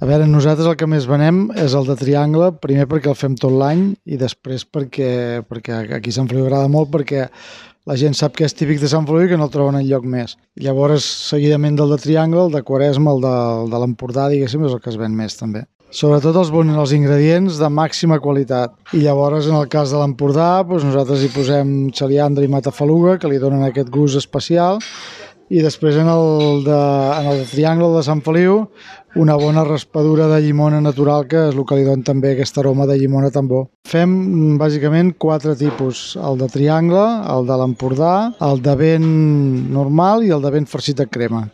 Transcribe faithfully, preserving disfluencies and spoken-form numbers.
A veure, nosaltres el que més venem és el de triangle, primer perquè el fem tot l'any i després perquè, perquè aquí a Sant Feliu agrada molt perquè la gent sap que és típic de Sant Feliu i que no el troben enlloc més. Llavors, seguidament del de triangle, el de Quaresma, el de, el de l'Empordà, diguéssim, és el que es ven més també. Sobretot els, bons, els ingredients de màxima qualitat. I llavors, en el cas de l'Empordà, doncs nosaltres hi posem xaliandra i matafaluga, que li donen aquest gust especial, i després en el de, en el de triangle de Sant Feliu, una bona raspadura de llimona natural, que és el que li dona també aquest aroma de llimona tan bo. Fem bàsicament quatre tipus, el de triangle, el de l'Empordà, el de vent normal i el de vent farcit de crema.